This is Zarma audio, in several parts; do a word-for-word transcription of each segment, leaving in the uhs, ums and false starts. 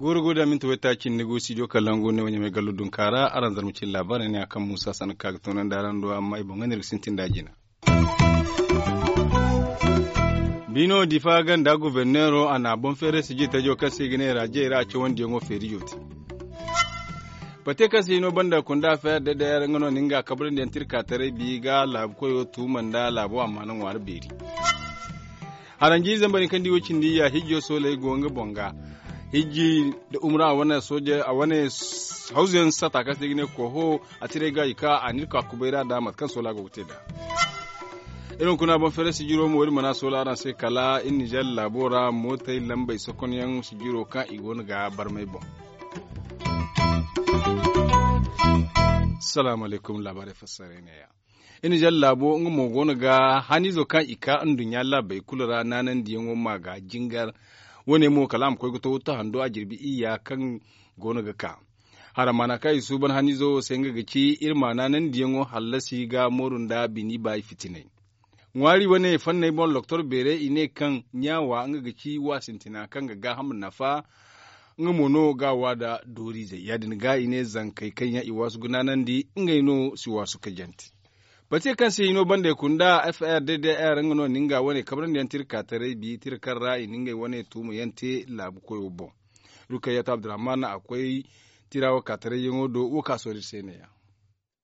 Guuru guuru da minti wayta cindi gu studio kalangu ne wa ɲamay gallo dunka ra araŋ zarma cine laabaarey ne a kaŋ muusa sanni ka ga toonandi araŋ do amma i boŋ ga ne iri ga sintin da a jina. Biino difa ganda goborneero a na boŋ feeray sijiri tajo kaŋ se i ga ne raajey ra a cawandiyaŋo feerijo te. Pate kaŋ se hino banda kunda feer da dayar nga no na nga kabrandi yaŋ tirka taray bi ga laabu koyo tuuma nda laabo amma na ŋwaari beeri. Haranji zambar hinka nda i wo cindi ya hijjo sooley go nga boŋ ga. Hijji da umra a wane sooje a wane hawzu yaŋ sata kaŋ se i ga ne koho a tiray ga i ka a na iri ka kubay ra nda mate kaŋ soola go ga te nd'a. Iri hunkuna boŋ feeray sijiro mo iri mana soola araŋ se kala iri nizer laabo ra mootey lambey sokonyaŋ sijiro kaŋ i go no ga barmay boŋ. Salaamu alaykum laabaarey fassaray neeya. Iri nizer laabo nga mo go no ga haniizo kaŋ i ka nduɲɲa laabey kulu ra naanandiyaŋo ma ga jingar. Wo- ne mo kala a ma koy ga to wuttu hando a jirbi iyya kaŋ go no ga ka. Hara maana kaŋ i suuban haniizo wo se nga ga ci iri ma naanandiyaŋo hallasi ga mooru nda bini baay fitinay. Ŋwaari wane fanney boŋ loktor beerey i ne kaŋ ɲaawa nga ga ci wa sintina kaŋ ga gaaham nafa. Nga mo no ga a wa nda dooriizey ya- din ga i ne zankey kaŋ yaŋ i waasu ga naanandi ngey no si waasu ka jante. Pate kaŋ se i no banda i kunda f r d d r nga no na nga wane kabrandi yaŋ tira ka taray bi tira kaŋ ra i na ngey wane tuuma yaŋ te laabu koyo boŋ. Rukayyatu abdurrahman a koy tira wo ka taray yaŋo do wo ka soori se ne- ya.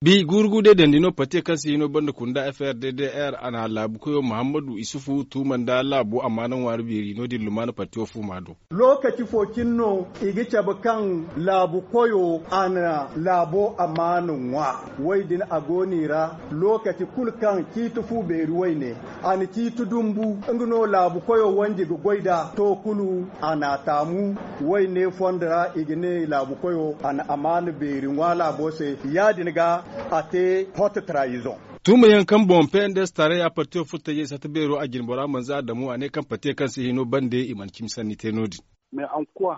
Bi guuru gu day dandi no pate kaŋ se i no banda kunda f r d d r a na laabu koyo muhammadu isufu tuuma nda laabo amaana ŋwaari beeri no- din lumaana pate wo fuuma do. Lookaci fo cine no i ga cabe kaŋ laabu koyo a na laabo amaana ŋwa. Wo- din a go no i ra lookaci kulu kaŋ ciiti fu beeri wayne a na ciiti dumbu nga no laabu koyo wanji ga goy nd'a to kulu a na a taamu. Wayne fondo ra i ga ne laabu koyo a na amaana beeri ŋwa laabo se ya- din ga a te hoto tarayizoŋ. Tuuma yaŋ kaŋ boŋ p n d s taaraya partiyo furo tajey sata beero a jine bora manza adamu a ne kaŋ partiyo kaŋ se hino bande i mana cimi sanni te no- din.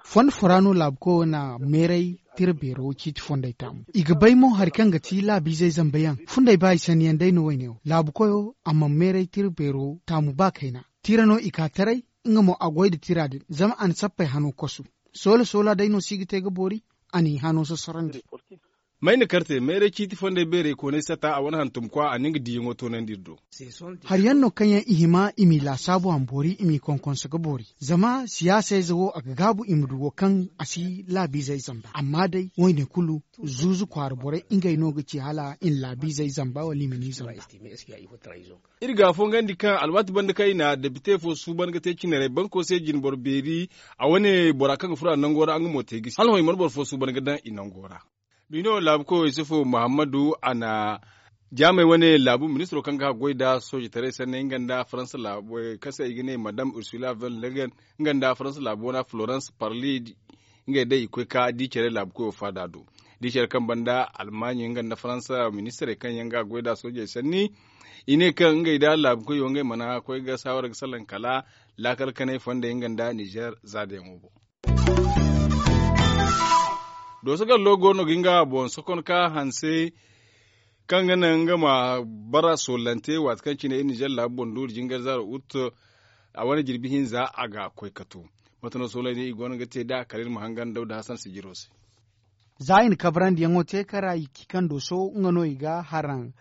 Fondo fo ra no laabu koyo na meeray tira beero ciiti fondey taamu. I ga bay mo hari kaŋ ga ti laabiizey zambe yaŋ fundey ba i sanni yaŋ day no wayne wo laabu koyo a mana meeray tira beero taamu ba kayna. Tira no i ka taray nga mo a goy nda tira din zama a na sappey hano kosu. Soola soola day no si ga te ga boori a n'i hano sosorondi. Mayna karte mayray ciiti fondey beerey koonay sata a wane hantumkwa a na nga diiyaŋo toonandi iri do. Hari yaŋ no kaŋ yaŋ i hima i m'i laasaabu a ma boori i m'i konkonso ga boori. Zama siyaasa ize wo a ga gaabu i ma du wo kaŋ a si laabiizey zamba amma day wayne kulu zuuzu kwaara borey ngey no ga ci hala i na laabiizey zamba wala i ma ni zamba. Iri ga a fongandi kaŋ alwaati banda kaŋ i na depite fo suuban ga te cinarey banko se jinboro beeri a wane bora kaŋ ga furo a nango ra nga mo te gisi hala hõ i mana boro fo suuban ga daŋ i nango ra. Bino laabu koyo isufu muhammadu a na jaamey wane laabu ministiro kaŋ ga haggoy nda soojetaray sanney nga nda faransa laabu kaŋ se i ga ne madam ursula van legen nga nda faransa laabu wana florence parli ngey day i koy ka di care laabu koyo faada do. Di care kaŋ banda almaaɲey nga nda faransa ministirey kaŋ yaŋ ga goy nd'a soojey sanni i ne kaŋ ngey da laabu koyo ngey mana koy ga saawara ga salaŋ kala laakal kanay fondey nga nda nizer zaadayaŋo boŋ. Dooso gallo go no ga nga boŋ sokon ka hanse kaŋ ga naŋ nga ma bara soolante waati kaŋ cine iri nizer laabu boŋ duuri jingar zaaro ut a wane jirbi hinza a ga koy ka to. Mate no sooley ne i go no ga te nd'a kala iri ma hangan dawda hasan sijiro se. Za i na kabarandiyaŋo te kaŋ ra i ci kaŋ dooso nga no i ga haraŋ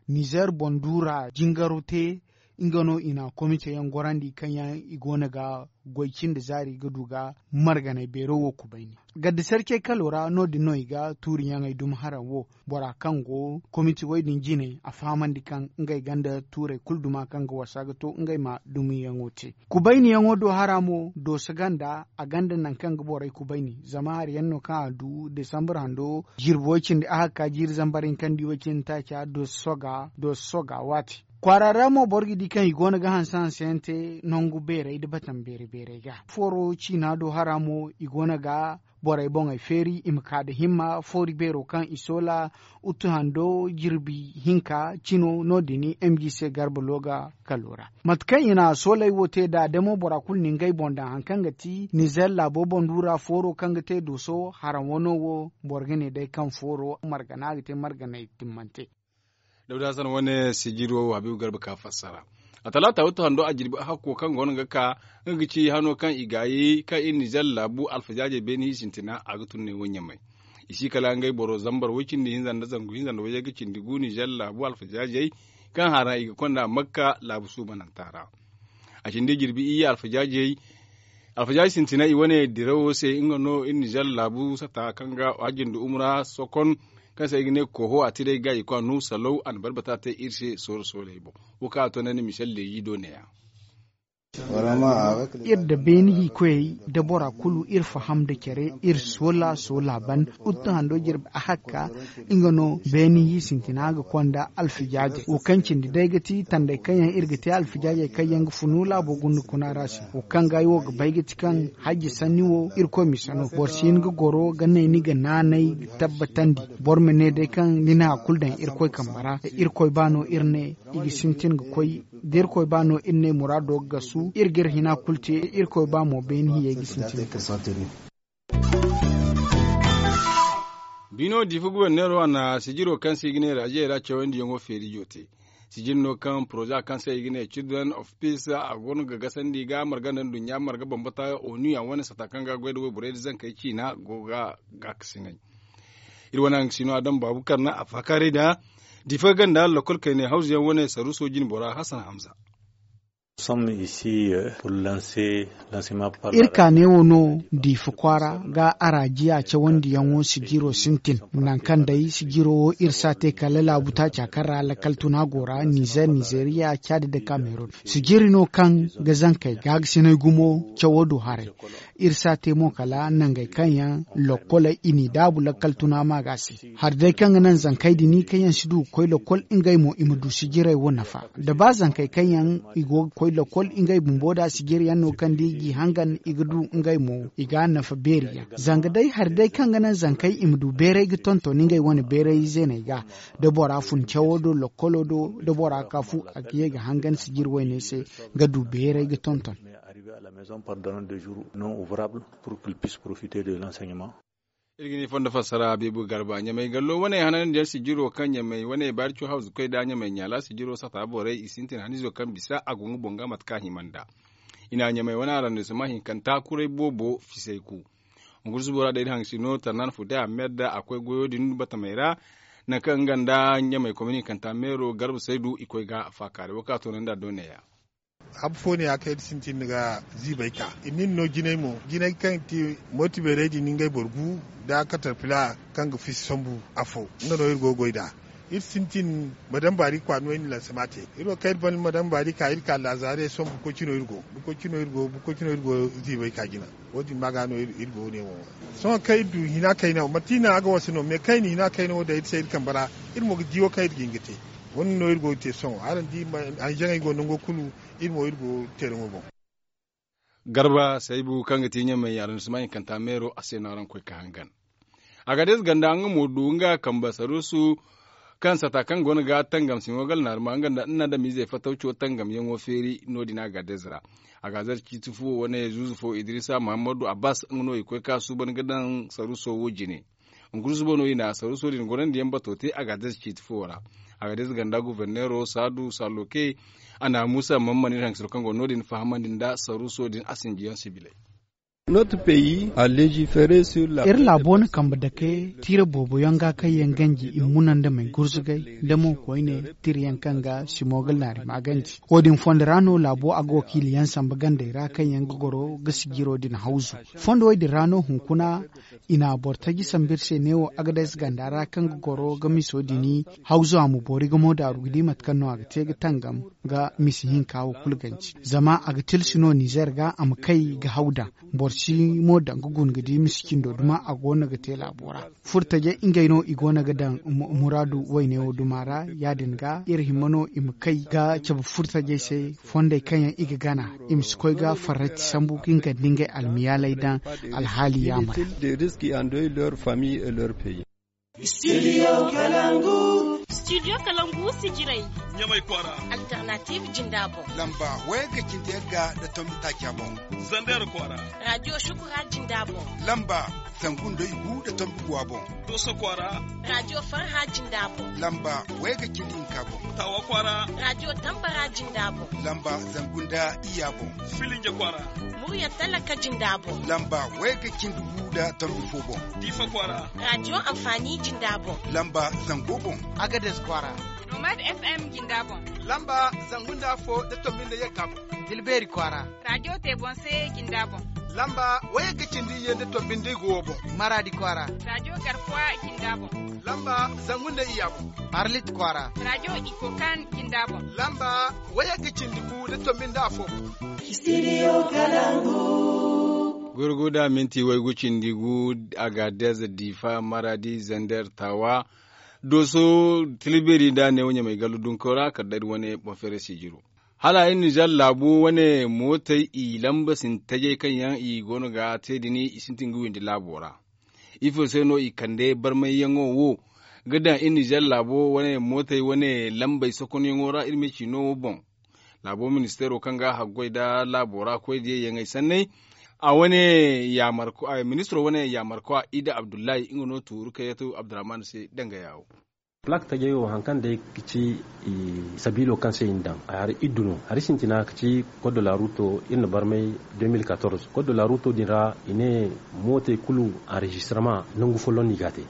nizer boŋ duura jingaro te. Nga no i na komite yaŋ gorandi kaŋ yaŋ i go no ga goy cindi zaari ga du ga marganay beero wo kubayni. Gadda sarcey kalo ra no- din no i ga tuuriyaŋey dumi haraŋ wo bora kaŋ go komite wo- din jine a fahamandi kaŋ ngey gonda tuurey kulu duma kaŋ ga wasa ga to ngey ma dumiyaŋo te. Kubayniyaŋo do hara mo dooso ganda a gonda nangu kaŋ ga borey kubayni zama hari yaŋ no kaŋ a du desambur hando jirbi way- cindi ahakka jiiri zambar hinka nda i way- cindi taaca dooso soga waati. Kwaara ra mo boro ga di kaŋ i go no ga hanse hanse yaŋ te nangu beerey nda batam beeri beerey ga foro ciina do hara mo i go no ga borey boŋey feeri i ma ka nda himma foori beero kaŋ i soola. Uttu hando jirbi hinka cino no- din m g c garba looga kalo ra. Mate kaŋ i na sooley wo te nd'a damo bora kulu na ngey boŋ daŋ hari kaŋ ga ti nizer laabo boŋ du ra fooro kaŋ ga te dooso haraŋ wano wo. Boro ga ne day kaŋ fooro margana ga te marganey timmante. Dawda hasan wane sijiro habibu garba ka fassara. A talaata wuttu hando a jirbi a hakko kaŋ go no ga ka nga ga ci hano kaŋ i gaayi kaŋ iri nizer laabu alfajaajey beene i sintina a ga tun ne wo ɲamay. I si kala ngey boro zambar woy cindi hinza nda zangu hinza nda wayye ga cindi gu nizer laabu alfajaajey kaŋ hara i ga konda makka laabu suubananta ra. A cindi jirbi iyye alfajaajey alfajaaji sintina i wane dirawo se nga no iri nizer laabu sata kaŋ ga hajjin da umra sokon kaŋ se i ga ne koho a tiray ga i kwa nu salaw a na barbata te iri se sooro sooley boŋ. Wo kaŋ a to ne ni michel leyi do neeya. Iri da beeni hiikoyey da bora kulu iri faham nda care iri soola soola ban. Uttu hando jirbi a hakka nga no beeni hi sintina ga konda alfijaajey wo kaŋ cindi day ga ti tanday kaŋ yaŋ iri ga te alfijaajey kaŋ yaŋ ga funu laabo gunda kuna ra se wo kaŋ ga ay wo ga bay ga ti kaŋ hajji sanni wo irkoy misa no boro si hin ga goro ga ne ni ga naanay ga tabbatandi. Boro ma ne day kaŋ ni na hari kulu daŋ irkoy kambe ra. Irkoy ba no iri ne i ga sintin ga koy da irkoy ba no iri ne muraado ga gasu iri ga iri hina kulu te. Irkoy ba mo beene hiyey ga sintin ga koy. Bino diifa guberneero a na sijiro kaŋ se i ga ne raje ra cawandiyaŋo feerijo te. Sijir no kaŋ poroza kaŋ se i ga ne children of peace a go no ga gasandi ga marga nda nduɲɲa marga bambata onu yaŋ wane sata kaŋ ga goy nda wayborey nda zankey ciina go ga gaakasinay. Iri wane haŋ ga si no a daŋ baabu karna a faakaaray da diifa ganda lokol kaynay hawzu yaŋ wane saruuso jine bora hasan hamza. Iri ka neewo no diifa kwaara ga araajiya cawandiyaŋo sijiro sintin. Nangu kaŋ day sijiro wo iri si a te kala laabu taaca kaŋ ra lakkal tuna go ra nizer nizeriya caadi nda kameron. Sijiri no kaŋ ga zankey gaagasinay gumo cawo du haray. Iri si a te mo kala nangey kaŋ yaŋ lokkoley i n'i daabu lakkal tuna ma ga a se. Hari day kaŋ ga naŋ zankey din kaŋ yaŋ si du ga koy lokol ngey mo i ma du sijirey wo nafa. Da ba zankey kaŋ yaŋ i go ga koy lokol ngey bumbo da sijiri yaŋ no kaŋ da i g'i hangan i ga du ngey mo i ga a nafa beeri yaŋ. Zanga day hari day kaŋ ga naŋ zankey i ma du beeray ga tonton ngey wane beeray zeeney ga da bora fun cawo do lokkolo do da bora ka fu a ga ye ga hangan sijiri wayney se ga du beeray ga tonton. Iri ga ni fondo fassara beebu garba ɲamay gallo wane hanandiyaŋ sijiro kaŋ ɲamay wane baari co hawzu koy da ɲamay ɲaala sijiro sata borey i sintin hanizo kaŋ bisa a go nga boŋ ga mate kaŋ a hima nda. I na ɲamay wane arrondissement hinkanta kuray boobo fisay ku. Hunkuna subo ra day da haŋ si no tarnan fude ahmed a koy goyo din batamey ra. Nangu kaŋ nga nda ɲamay komini hinkanta meero garba saydu i koy ga a faakaari wo kaŋ a toonandi a do neeya. Habu fo ne ya kaŋ iri sintin ga ziibay ka iri nin no jinay mo jinay kaŋ ti mooti beerey din ngey boro gu da katarpila kaŋ ga fisi sambu afo nga no iri go ga goy nd'a. Iri sintin madam baari kwaano iri na lansama te. Iri wo kaŋ iri ban madam baari ka iri ka laazare sohõ bukoy cino iri go bukoy cino iri go bukoy cino iri go ziibay ka jina. Wo- din ma ga no iri go ne wo. Sohõ kaŋ iri du hina kayna wo manti iri naŋ a ga wasa no mais kaŋ iri na hina kayna wo daŋ iri se iri kambe ra. Iri mo ga di wo kaŋ iri ga hin ga te. Wo- din no iri go ga te sohõ araŋ di. Anzaŋey go nango kulu. Iri mo iri go teeraŋo boŋ. Garba saybu kaŋ ga ti ɲamay arrondissement hinkanta meero a se no araŋ koy ka hangan. Agadez ganda nga mo du nga kambe saruusu kaŋ sata kaŋ go no ga tangam simo gal naarma nga nda ina da miizey fatawco tangamyaŋo feeri no- din agadez ra. Agadez ciiti fuwo wane zuuzu fo idrisa muhammadu abbas nga no i koy ka suuban ga daŋ saruuso wo jine. Hunkuna suba no i na saruuso din gorandi yaŋ bato te agadez ciiti fuwo ra. Agadez ganda guverneero saadu saloke a na muusa mammani iri haŋ ga siro kaŋ go no- din fahamandi nda saruuso din a sinjiyaŋ sibiley. Iri laabo na kambe dake tiire boobo yaŋ ga kaŋ yaŋ ganji i muna nda may gurzugay nda mo koyne tiire yaŋ kaŋ ga simogal naari ma ganji. Wo- din fondo ra no laabo a ga wakiili yaŋ samba gandey ra kaŋ yaŋ ga goro ga sijiro din hawzu. Fondo wo- din ra no hunkuna i na boro taji sambu iri se neewo agadez ganda ra kaŋ ga goro ga miso din hawzu a ma boori ga mo daaru ga di mate kaŋ no a ga te ga tangam ga misi hinka wo kulu ganji. Zama a ga tilsi no nizer ga a ma kay ga haw daŋ. Boro Si mo daŋ ga guna ga di misi cindo duma a go no ga te laabo ra. Furtajey ngey no i go no ga daŋ muraadu wayne wo duma ra. Ya- din ga iri hima no i ma kay ga cabe furtajey se fondey kaŋ yaŋ i ga gana, i ma si koy ga farrati sambu ga nga nda ngey almiyaaley daŋ alhaali yaamar. Studio kalangu. Studio kalangu sijirey. Ɲamay kwaara. Alternative jinda boŋ. Lamba wayga cindi yagga nda tombi taaca boŋ. Zander kwaara. Radio shukura jinda boŋ. Lamba zangu nda igu nda tombi guwa boŋ. Doso kwaara. Radio farha jinda boŋ. Lamba wayga cindi hinka boŋ. Tawa kwaara. Radio tambara jinda boŋ. Lamba zangu nda iya boŋ. Filinja kwaara. Murya talaka jinda boŋ. Lamba wayga cindi gu nda tombi fo boŋ. Diifa kwaara. Radio amfani jinda boŋ. Lamba zango boŋ. Agades kwaara. Nomad FM jinda boŋ. Lamba zangu nda fo nda tombi nda yagga boŋ. Tilbeeri kwaara. Radio te boŋ se jinda boŋ. Lamba wayga cindi ye nda tombi nda igu wo boŋ. Maradi kwaara. Radio garkuwa jinda boŋ. Lamba zangu nda iya boŋ. Arlit kwaara. Radio ikokan jinda boŋ. Lamba wayga cindi gu nda tombi nda afo boŋ. Studio kalangu. Gurguda minti waygu cindi gu. Agadez, difa, maradi, zander, tawa, doso, tilberi nda neewo ɲamay gallu dunko ra kala day wane boŋ feere sijiro. Hala iri nizer laabo wane mootey i lamba sintajey kaŋ yaŋ i go no ga te din i sintin ga windi laabo ra. Ifo se no i kande barmayyaŋo wo ga daŋ iri nizer laabo wane mootey wane lambey sokonyaŋo ra iri ma ci no wo boŋ? Laabo ministeero kaŋ ga haggoy nda laabo ra koy diyayyaŋey sanney, a wane ministiro wane yaamarkoy a ida abdullahi nga no tuuru kayyatu abdurrahman se danga yaawo. Plak tajey wo hari kaŋ day ga ci sabiilo kaŋ se i na daŋ a hari iddu no hari sintina ga ci. Koddo laaruto iri na barmay. Deux mille quatorze koddo laaruto din ra i ne mootey kulu anrejistirama nangu folloŋ no i ga a te.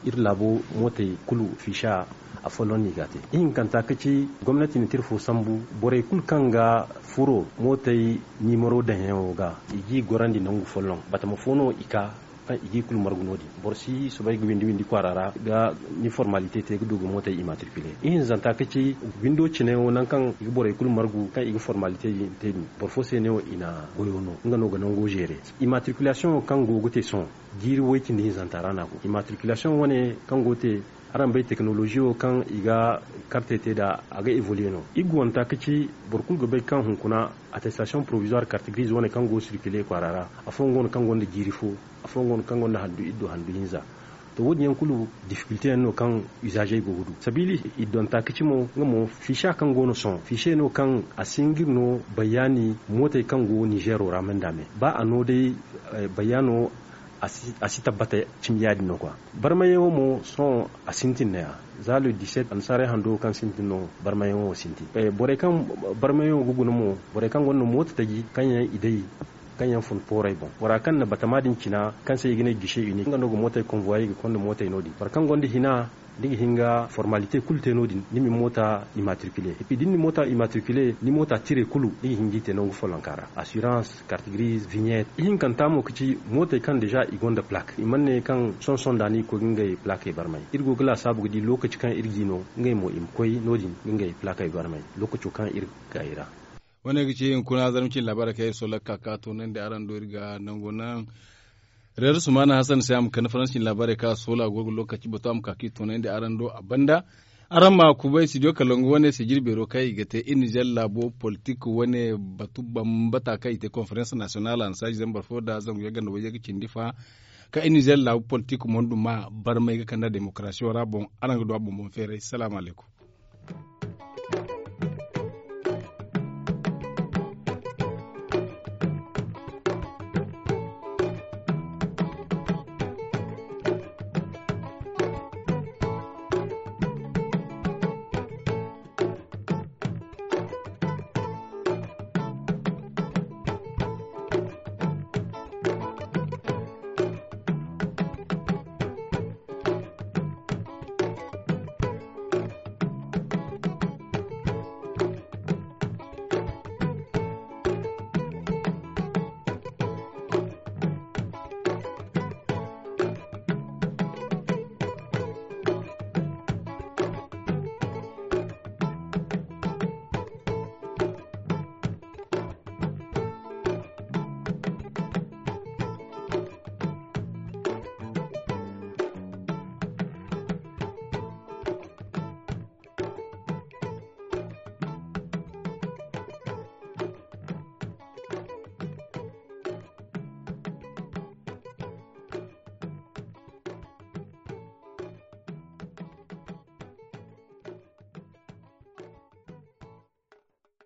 Iri laabo mootey kulu fiisa a folloŋ no i ga a te. Ihinkanta ga ci gomnati na tira fo sambu borey kulu kaŋ ga furo mootey niimaro daŋyaŋo ga i g'i gorandi nangu folloŋ batama fo no i ka kaŋ i g'i kulu margu no- din. Boro si soobay ga windi windi kwaara ra ga ni formalite te ga du ga mootey imatrikile. Ihinzanta ga ci windo cine wo nangu kaŋ i ga borey kulu margu kaŋ i ga formalite din te din boro fo se ne wo i na goyo no nga no ga nango zeere. Imatrikulasiyoŋo kaŋ go ga te sohõ jiiri way cindi hinzanta ra no a go. Imatrikulasiyoŋo wane kaŋ go ga te araŋ bay tekinolozi wo kaŋ i ga karte te nd'a a ga evoluye no. Iri ga wanta ga ci boro kulu ga bay kaŋ hunkuna attestasiyoŋ porovizuwar karte giriize wane kaŋ go ga sirkile kwaara ra afooyaŋ go no kaŋ gonda jiiri fo afooyaŋ go no kaŋ gonda handu iddu handu hinza. To wo- din yaŋ kulu difikilte yaŋ no kaŋ izaazey go ga du sabiili. Iddonta ga ci mo nga mo fiisa kaŋ go no sohõ fiise no kaŋ a si hin ga iri no bayaani mootey kaŋ go nizeero ra manda me ba a no day bayaano a si tabbata cimi ya- din no kwa. Barmayaŋo mo sohõ a sintin no- ya za le dix-sept annasaarey hando kaŋ sintin no barmayaŋo sintin. Borey kaŋ barmayaŋo ga guna mo borey kaŋ gonda mooto taji kaŋ yaŋ i day kaŋ yaŋ fun pooray boŋ bora kaŋ na batama din cina kaŋ se i ga ne gise uni nga no ga mootey konvoyey ga konda mootey no- din boro kaŋ gonda hina ni ga hin ga formalite kulu te no- din ni ma ni moota imatrikile epi da ni na ni moota imatrikile ni moota tire kulu ni ga hin ga i te nangu follonka ra asirans karte giriize vignette ihinkanta mo ga ci mootey kaŋ deeza i gonda plak i mana ne kaŋ sohõ sohõ nda no i ga koy ga ngey plakey barmay iri go ga laasaabu ga di lookaci kaŋ iri g'i no ngey mo i ma koy no- din ga ngey plakey barmay lookaco kaŋ iri ga kay ra. Wane ga ci hunkuna zarma cine laabaarey kaŋ iri soola ga ka ga toonandi araŋ do iri ga nango naŋ reer sumaana hasan se a ma kande faransi cine laabaarey kaŋ a soola a go ga lookaci bato a ma ka ga i toonandi araŋ do a banda. Araŋ ma kubay studio kalangu wane se jirbeero kaŋ i ga te iri nizer laabo politik wane batu bambata kaŋ i te konferens nasiyonal a na saaji zambar fo nda zangu yagga nda wayyaŋ ga cindi fa kaŋ iri nizer laabu politik mondu ma barmay ga kand'a demokarasiyo ra boŋ. Araŋ ga du a boŋ boŋ feeray salaamu alaykum.